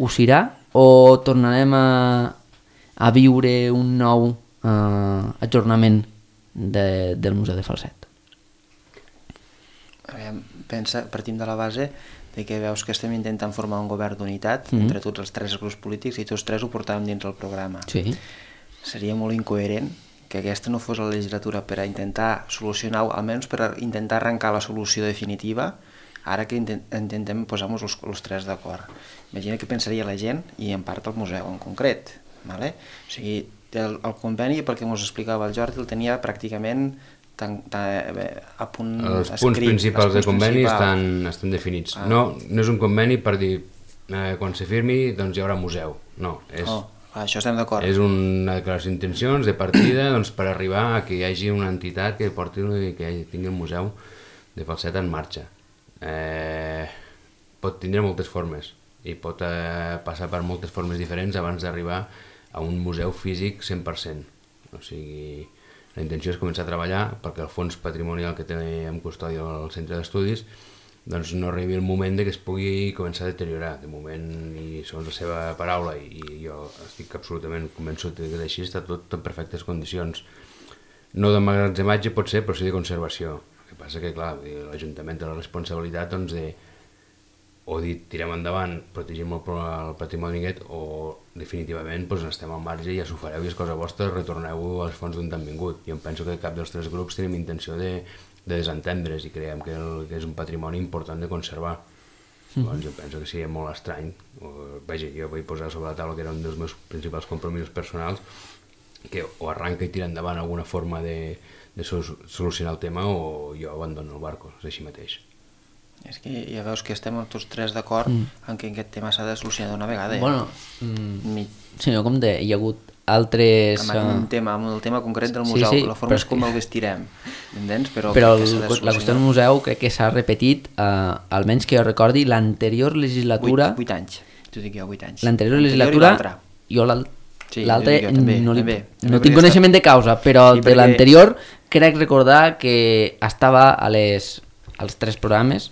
Ho serà o tornarem a viure un nou ajornament del Museu de Falset? Partim de la base de que veus que estem intentant formar un govern d'unitat entre tots els tres grups polítics i tots tres ho portàvem dins el programa. Sí. Seria molt incoherent que aquesta no fos la legislatura per a intentar solucionar-ho, almenys per a intentar arrencar la solució definitiva, ara que intentem posar-nos els tres d'acord. Imagina què pensaria la gent i en part el museu en concret. Vale? O sigui, el conveni, pel que ens explicava el Jordi, el tenia pràcticament a punt escrit. Els punts principals del conveni estan definits. No és un conveni per dir quan se firmi doncs hi haurà museu. No, això estem d'acord. És una declaració d'intencions de partida per arribar a que hi hagi una entitat que porti i que tingui el museu de Falset en marxa. Pot tindre moltes formes i pot passar per moltes formes diferents abans d'arribar a un museu físic 100%. O sigui, la intenció és començar a treballar perquè el fons patrimonial que té en custòdia al centre d'estudis no arribi el moment que es pugui començar a deteriorar. De moment, i segons la seva paraula, i jo estic absolutament convençut que és així, està tot en perfectes condicions. No d'emmagatzematge pot ser, però sí de conservació. El que passa que, clar, l'Ajuntament té la responsabilitat de o dir tirem endavant, protegim el patrimoni aquest, o definitivament estem al marge i ja s'ho fareu i és cosa vostra, retorneu als fons d'on han vingut. Jo em penso que cap dels tres grups tenim intenció de desentendre's i creiem que és un patrimoni important de conservar. Doncs jo penso que seria molt estrany. Jo vull posar sobre la taula que era un dels meus principals compromisos personals, que o arranca i tira endavant alguna forma de solucionar el tema o jo abandono el barco, és així mateix. És que ja veus que estem tots tres d'acord en que aquest tema s'ha de solucionar d'una vegada. Bueno, senyor Comte, hi ha hagut altres... Amb el tema concret del museu, la forma és com el vestirem, entens? Però la qüestió del museu crec que s'ha repetit, almenys que jo recordi, l'anterior legislatura... 8 anys, t'ho dic jo, 8 anys. L'anterior legislatura... Jo l'altre no tinc coneixement de causa, però de l'anterior crec recordar que estava als tres programes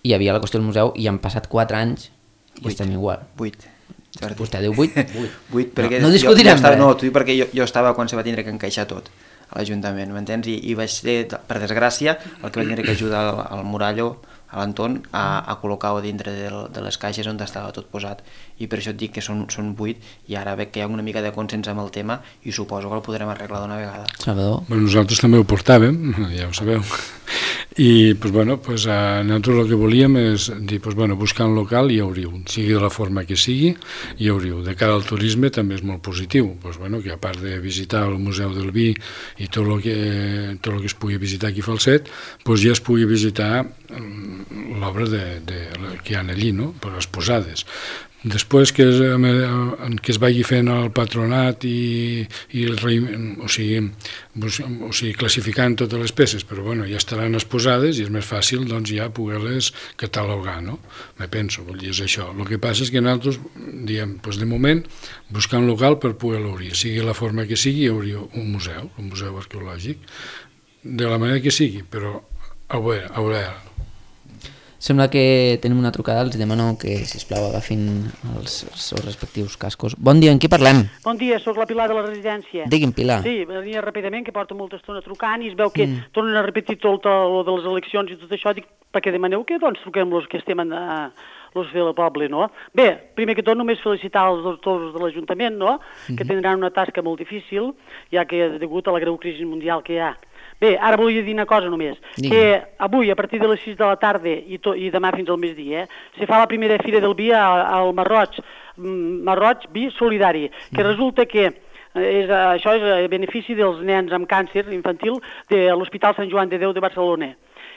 hi havia la qüestió del museu i han passat 4 anys i estem igual. 8. Vostè diu 8? 8, perquè no discutirem res. No, t'ho dic perquè jo estava quan se va tindre que encaixar tot a l'Ajuntament, m'entens? I vaig ser, per desgràcia, el que va tindre que ajudar al Murallo a l'entorn a col·locar-ho dintre de les caixes on estava tot posat, i per això et dic que són 8, i ara veig que hi ha una mica de consens amb el tema i suposo que el podrem arreglar d'una vegada. Salvador? Bueno, nosaltres també ho portàvem, ja ho sabeu, i nosaltres el que volíem és dir, buscar un local i obrir-ho, sigui de la forma que sigui, i obrir-ho. De cara al turisme també és molt positiu, que a part de visitar el Museu del Vi i tot el que es pugui visitar aquí a Falset, ja es pugui visitar l'obra que hi ha allí, no? Per les posades. Després que es vagi fent el patronat o sigui, classificant totes les peces, però ja estaran exposades i és més fàcil ja poder-les catalogar, no? Me penso, és això. El que passa és que nosaltres diem, de moment, buscar un local per poder-lo obrir, sigui la forma que sigui, obrir un museu arqueològic, de la manera que sigui, però a veure. Sembla que tenim una trucada, els demano que, sisplau, agafin els seus respectius cascos. Bon dia, en qui parlem? Bon dia, sóc la Pilar de la residència. Digui'm, Pilar. Sí, venia ràpidament, que porto molta estona trucant i es veu que tornen a repetir tot el de les eleccions i tot això, dic, perquè demaneu que truquem els que estem los del poble, no? Bé, primer que tot només felicitar els doctors de l'Ajuntament, no?, que tindran una tasca molt difícil, ja que degut a la greu crisi mundial que hi ha. Bé, ara volia dir una cosa només, que avui, a partir de les 6 de la tarda i demà fins al migdia, se fa la primera fira del vi al Marroig Vi Solidari, que resulta que això és a benefici dels nens amb càncer infantil de l'Hospital Sant Joan de Déu de Barcelona.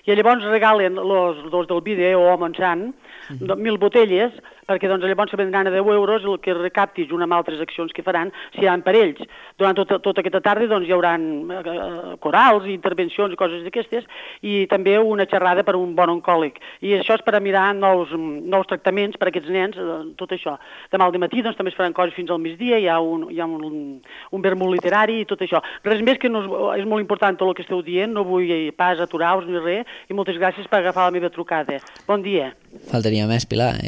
I llavors regalen els del vi o Montsant 1.000 botelles, perquè llavors se vendran a 10 euros el que recapti, junt amb altres accions que faran, seran per ells. Durant tota aquesta tarda hi haurà corals, intervencions i coses d'aquestes, i també una xerrada per un bon oncòleg. I això és per a mirar nous tractaments per a aquests nens, tot això. Demà al matí també es faran coses fins al migdia, hi ha un vermut literari i tot això. Res més, que és molt important tot el que esteu dient, no vull pas aturar-vos ni res, i moltes gràcies per agafar la meva trucada. Bon dia. Faltaria més, Pilar.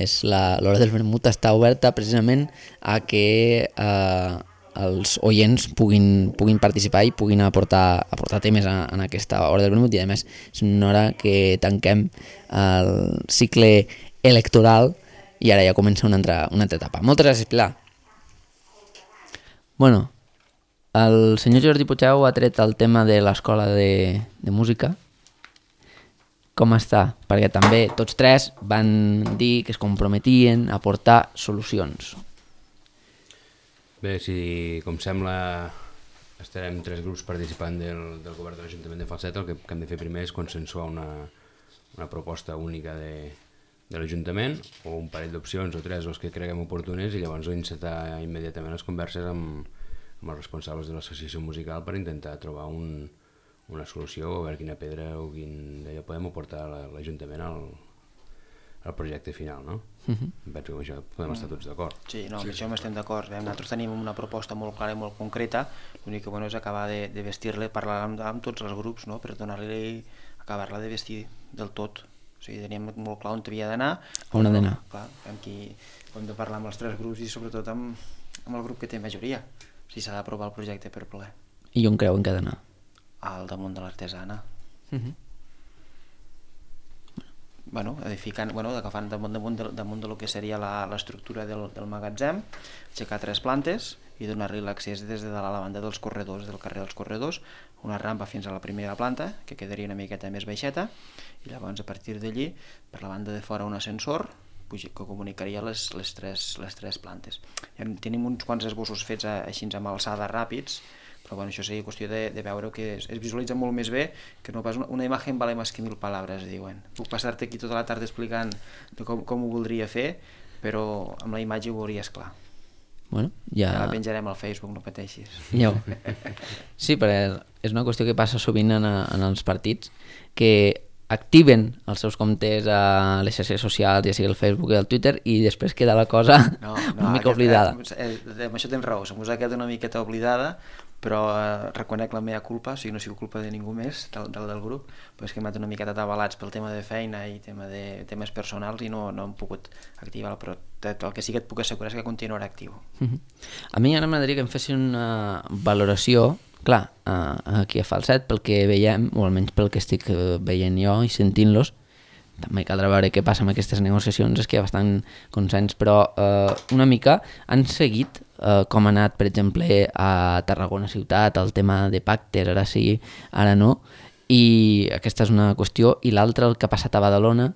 L'hora del vermut està oberta precisament a que els oients puguin participar i puguin aportar temes en aquesta hora del vermut, i a més és una hora que tanquem el cicle electoral i ara ja comença una altra etapa. Moltes gràcies, Pilar. Bueno, el senyor Jordi Puigdeu ha tret el tema de l'escola de música. Com està? Perquè també tots tres van dir que es comprometien a aportar solucions. Bé, com sembla, estarem 3 grups participant del govern de l'Ajuntament de Falset. El que hem de fer primer és consensuar una proposta única de l'Ajuntament, o un parell d'opcions o 3 els que creguem oportunes, i llavors encetar immediatament les converses amb els responsables de l'associació musical per intentar trobar una solució, o veure quina pedra o quin d'allò podem aportar a l'Ajuntament al projecte final, no? Penso que amb això podem estar tots d'acord. Sí, amb això estem d'acord. Nosaltres tenim una proposta molt clara i molt concreta, l'únic que és acabar de vestir-la, parlar amb tots els grups, per donar-li, acabar-la de vestir del tot. O sigui, teníem molt clar on havia d'anar. On ha d'anar? Clar, hem de parlar amb els 3 grups i sobretot amb el grup que té majoria, si s'ha d'aprovar el projecte per ple. I on creuen que ha d'anar? Al damunt de l'artesana. Agafant damunt del que seria l'estructura del magatzem, aixecar 3 plantes i donar-li l'accés des de la banda dels corredors, del carrer dels corredors, una rampa fins a la primera planta, que quedaria una miqueta més baixeta, i llavors a partir d'allí, per la banda de fora, un ascensor que comunicaria les tres plantes. Tenim uns quants esbossos fets així amb alçada ràpids, però això seria qüestió de veure que es visualitza molt més bé, que no pas una imatge vale més que 1000 paraules, diuen. Puc passar-te aquí tota la tarda explicant com ho voldria fer, però amb la imatge ho veuries clar. Bueno, ja la penjarem al Facebook, no pateixis. Sí, però és una qüestió que passa sovint en els partits, que activen els seus comptes a les xarxes socials, ja sigui el Facebook i el Twitter, i després queda la cosa una mica oblidada. Amb això tens raó, se m'ho ha quedat una miqueta oblidada, però reconec la meva culpa, o sigui, no ha sigut culpa de ningú més del grup, però és que hem anat una miqueta atabalats pel tema de feina i temes personals i no hem pogut activar, però el que sí que et puc assegurar és que continuarà actiu. A mi ara m'agradaria que em fessin una valoració, clar, aquí a Falset, pel que veiem, o almenys pel que estic veient jo i sentint-los, també caldrà veure què passa amb aquestes negociacions, és que hi ha bastant consens, però una mica han seguit com ha anat, per exemple, a Tarragona ciutat, el tema de pactes, ara sí, ara no, i aquesta és una qüestió, i l'altra, el que ha passat a Badalona,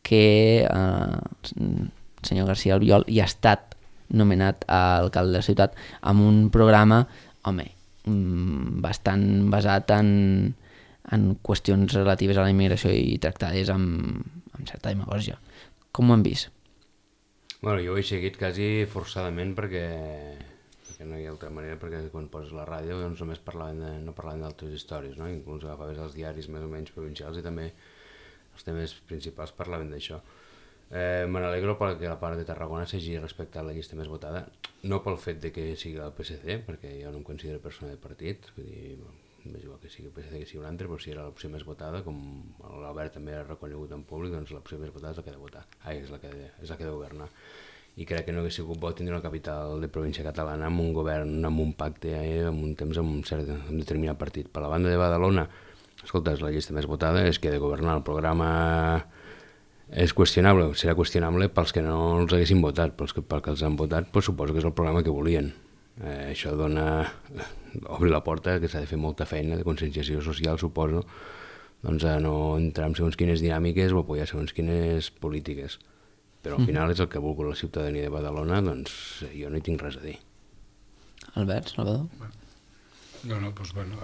que el senyor García Albiol ja ha estat nomenat alcalde de la ciutat amb un programa, home, bastant basat en qüestions relatives a la immigració i tractades amb certa demagògia. Com ho han vist? Bueno, jo ho he seguit quasi forçadament perquè no hi ha altra manera, perquè quan poses la ràdio doncs només no parlaven d'altres històries, no? Inclús agafaves els diaris més o menys provincials i també els temes principals parlaven d'això. Me n'alegro perquè la part de Tarragona s'hagi respectat la llista més votada, no pel fet de que sigui el PSC, perquè jo no em considero persona de partit, vull dir, m'és igual que sigui el PSC que sigui un altre, però si era l'opció més votada, com l'Albert també ha reconegut en públic, doncs l'opció més votada és la que ha de votar, és la que ha de governar. I crec que no hagués sigut bo tindre una capital de província catalana amb un govern, amb un pacte, amb un temps amb un determinat partit. Per la banda de Badalona, escolta, és la llista més votada, és que ha de governar. El programa és qüestionable, serà qüestionable pels que no els haguessin votat, pels que els han votat, doncs suposo que és el programa que volien. Això obre la porta que s'ha de fer molta feina de conscienciació social, suposo, doncs a no entrar en segons quines dinàmiques o apoyar segons quines polítiques. Però al final és el que ha volgut la ciutadania de Badalona, doncs jo no hi tinc res a dir. Albert, Salvador? No, doncs bueno,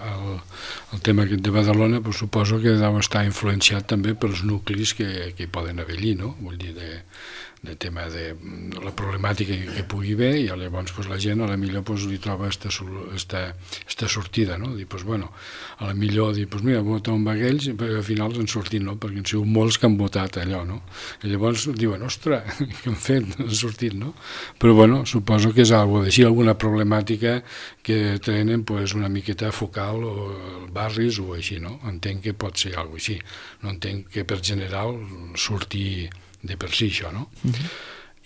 el tema aquest de Badalona doncs suposo que deu estar influenciat també pels nuclis que hi poden haver allí, no? Vull dir, de tema de la problemàtica que pugui haver, i llavors pues, la gent a la millor pues, li troba esta sortida, no? Dir, pues, bueno, a la millor dir, pues, mira, vota un aquells, però al final han sortit, no? Perquè han sigut molts que han votat allò, no? I llavors diuen, ostres, què han fet? Han sortit, no? Però bueno, suposo que és alguna problemàtica que tenen pues, una miqueta focal o barris o així, no? Entenc que pot ser alguna cosa així. No entenc que per general surti de per si això, no?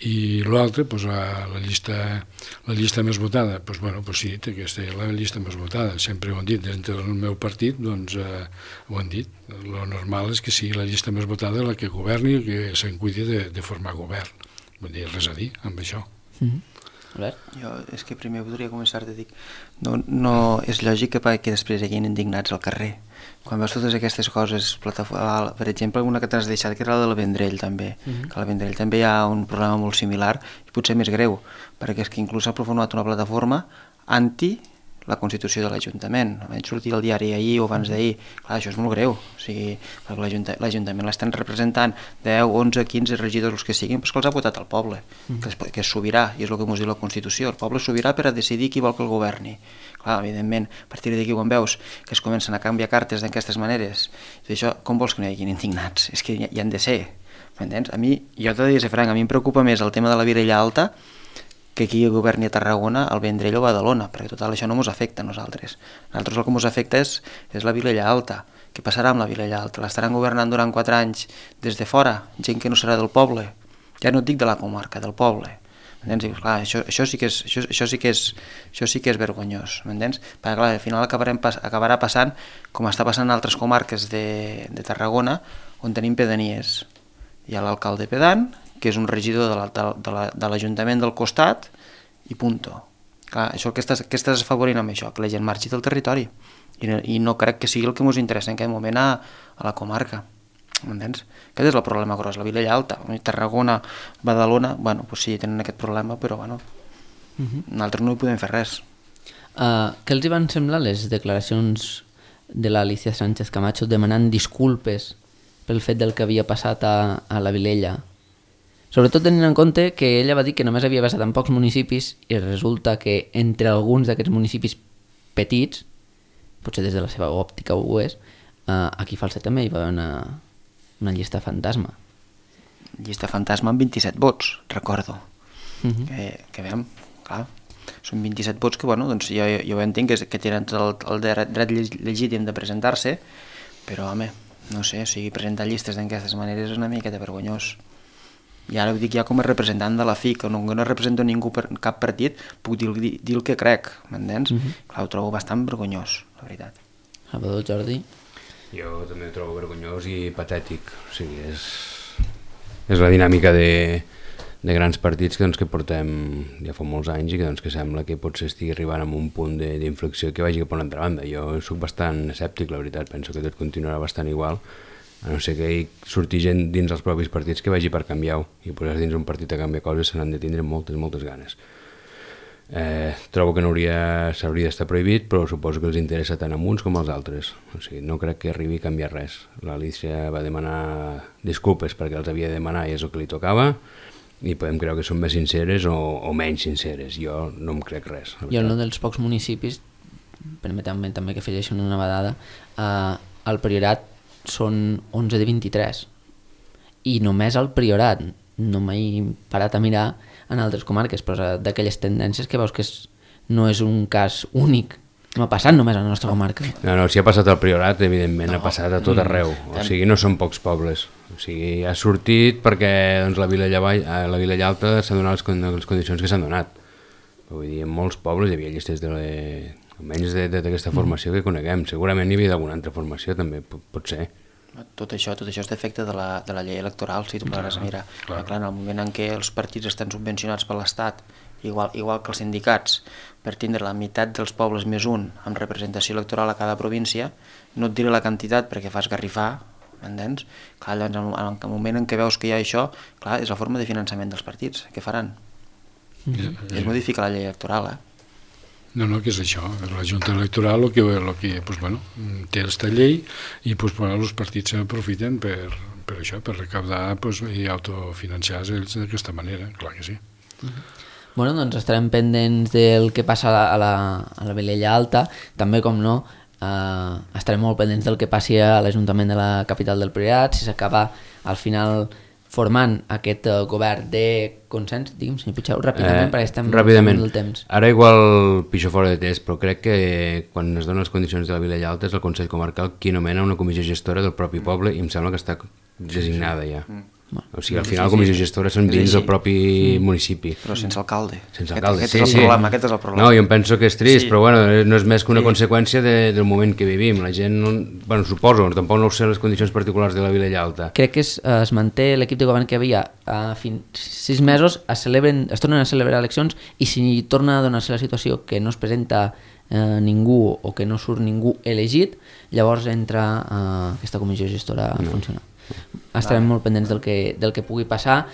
I l'altre, doncs, la llista més votada, doncs, bueno, doncs sí, aquesta és la llista més votada, sempre ho han dit, dintre del meu partit, doncs ho han dit, lo normal és que sigui la llista més votada la que governi i que se'n cuidi de formar govern, vull dir, res a dir amb això. Albert? Jo és que primer voldria començar a dir, no és lògic que després hi hagin indignats al carrer. Quan veus totes aquestes coses, per exemple, una que t'has deixat, que era la del Vendrell, també, que al Vendrell també hi ha un problema molt similar, i potser més greu, perquè és que inclús s'ha format una plataforma anti la Constitució de l'Ajuntament. Vaig sortir al diari ahir o abans d'ahir. Clar, això és molt greu, o sigui, perquè l'Ajuntament l'estan representant 10, 11, 15 regidors, els que siguin, però que els ha votat el poble, que és sobirà, i és el que ens diu la Constitució. El poble és sobirà per a decidir qui vol que el governi. Clar, evidentment, a partir d'aquí quan veus que es comencen a canviar cartes d'aquestes maneres, i això, com vols que no hi hagin indignats? És que hi han de ser, m'entens? A mi, jo t'he de dir, franc, a mi em preocupa més el tema de la Vilella Alta que aquí governi a Tarragona, el Vendrell o Badalona, perquè total això no ens afecta a nosaltres. A nosaltres el que ens afecta és la Vilella Alta. Què passarà amb la Vilella Alta? L'estaran governant durant 4 anys des de fora, gent que no serà del poble. Ja no et dic de la comarca, del poble. M'entens? Clar, això sí que és vergonyós, m'entens? Perquè clar, al final acabarà passant com està passant en altres comarques de Tarragona, on tenim pedanies. Hi ha l'alcalde pedant, que és un regidor de l'Ajuntament del costat, i punto. Clar, això que estàs afavorint amb això, que la gent marxi del territori, i no crec que sigui el que ens interessa en aquest moment a la comarca. M'entens? Aquest és el problema gros, la Vilella Alta. Tarragona, Badalona, bueno, doncs sí, tenen aquest problema, però bueno, nosaltres no hi podem fer res. Què els hi van semblar les declaracions de l'Alicia Sánchez Camacho demanant disculpes pel fet del que havia passat a la Vilella? Sobretot tenint en compte que ella va dir que només havia passat en pocs municipis i resulta que entre alguns d'aquests municipis petits, potser des de la seva òptica ho és, aquí a Falset també hi va haver una llista fantasma. Llista fantasma amb 27 vots, recordo. Que veiem, clar, són 27 vots que, bueno, doncs jo entenc que tenen tot el dret legítim de presentar-se, però, home, no sé, o sigui, presentar llistes d'aquestes maneres és una miqueta vergonyós. I ara ho dic ja com a representant de la FIC, que no represento ningú per cap partit, puc dir el que crec, m'entens? Clar, ho trobo bastant vergonyós, la veritat. Salvador, Jordi? Jo també ho trobo vergonyós i patètic, o sigui, és és la dinàmica de grans partits que portem ja fa molts anys i que sembla que potser estigui arribant a un punt d'inflexió que vagi cap a una altra banda. Jo soc bastant escèptic, la veritat, penso que tot continuarà bastant igual, a no ser que hi surti gent dins els propis partits que vagi per canviar-ho, i posar-se dins un partit a canviar coses se n'han de tindre moltes ganes. Trobo que s'hauria d'estar prohibit, però suposo que els interessa tant a uns com als altres. O sigui, no crec que arribi a canviar res. L'Alícia va demanar disculpes perquè els havia de demanar i és el que li tocava, i podem creure que són més sinceres o menys sinceres. Jo no em crec res. I en un dels pocs municipis, permetem-me també que afegeixen una vedada, al Priorat són 11 de 23, i només al Priorat, no m'he parat a mirar en altres comarques, però d'aquelles tendències que veus que no és un cas únic, no ha passat només a la nostra comarca. No, si ha passat al Priorat, evidentment, ha passat a tot arreu. O sigui, no són pocs pobles. O sigui, ha sortit perquè doncs, la Vila Llalta s'ha donat les condicions que s'han donat. Vull dir, en molts pobles hi havia llistes almenys d'aquesta formació que coneguem. Segurament hi havia d'alguna altra formació, també, pot ser. Tot això és d'efecte de la llei electoral, si tu podràs mirar. Clar, en el moment en què els partits estan subvencionats per l'Estat, igual que els sindicats, per tindre la meitat dels pobles més un amb representació electoral a cada província, no et diré la quantitat perquè fas garrifar, m'entens? Clar, llavors, en el moment en què veus que hi ha això, clar, és la forma de finançament dels partits. Què faran? És modificar la llei electoral, No, que és això, la Junta Electoral el que pues, bueno, té aquesta llei i pues, bueno, els partits s'aprofiten per això, per recaptar pues, i autofinanciar-se ells d'aquesta manera, clar que sí. Bueno, doncs estarem pendents del que passa a la Vilella Alta, també com no, estarem molt pendents del que passi a l'Ajuntament de la capital del Priorat, si s'acaba al final formant aquest govern de consens, digui'm, senyor Puigdeu, ràpidament, perquè estem ràpidament. del temps. Ara igual pixo fora de test, però crec que quan es donen les condicions de la Vila Llalta és el Consell Comarcal qui nomena una comissió gestora del propi poble i em sembla que està designada ja. O sigui, al final la comissió gestora són dins del propi municipi. Però sense alcalde. Sense alcalde, aquest és el problema. No, jo em penso que és trist, però bueno, no és més que una conseqüència del moment que vivim. La gent, bueno, suposo, tampoc no ho sé les condicions particulars de la Vila Llalta. Crec que es manté l'equip de govern que havia fins 6 mesos, es tornen a celebrar eleccions i si torna a donar-se la situació que no es presenta ningú o que no surt ningú elegit, llavors entra aquesta comissió gestora a funcionar. Estarem molt pendents del que pugui passar.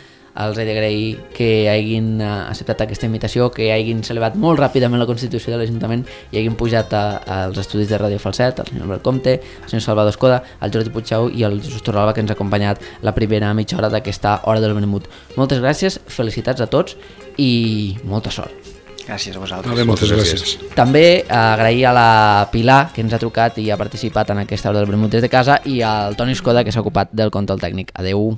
Els he d'agrair que hagin acceptat aquesta invitació, que hagin celebrat molt ràpidament la Constitució de l'Ajuntament i hagin pujat als estudis de Ràdio Falset, el senyor Albert Comte, el senyor Salvador Escoda, el Jordi Puigdeu i el Jesús Torralba, que ens ha acompanyat la primera mitja hora d'aquesta Hora del Vermut. Moltes gràcies, felicitats a tots i molta sort. Gràcies a vosaltres. Vale, moltes gràcies. També agrair a la Pilar, que ens ha trucat i ha participat en aquesta Hora del Vermut des de casa, i al Toni Escoda, que s'ha ocupat del control tècnic. Adeu.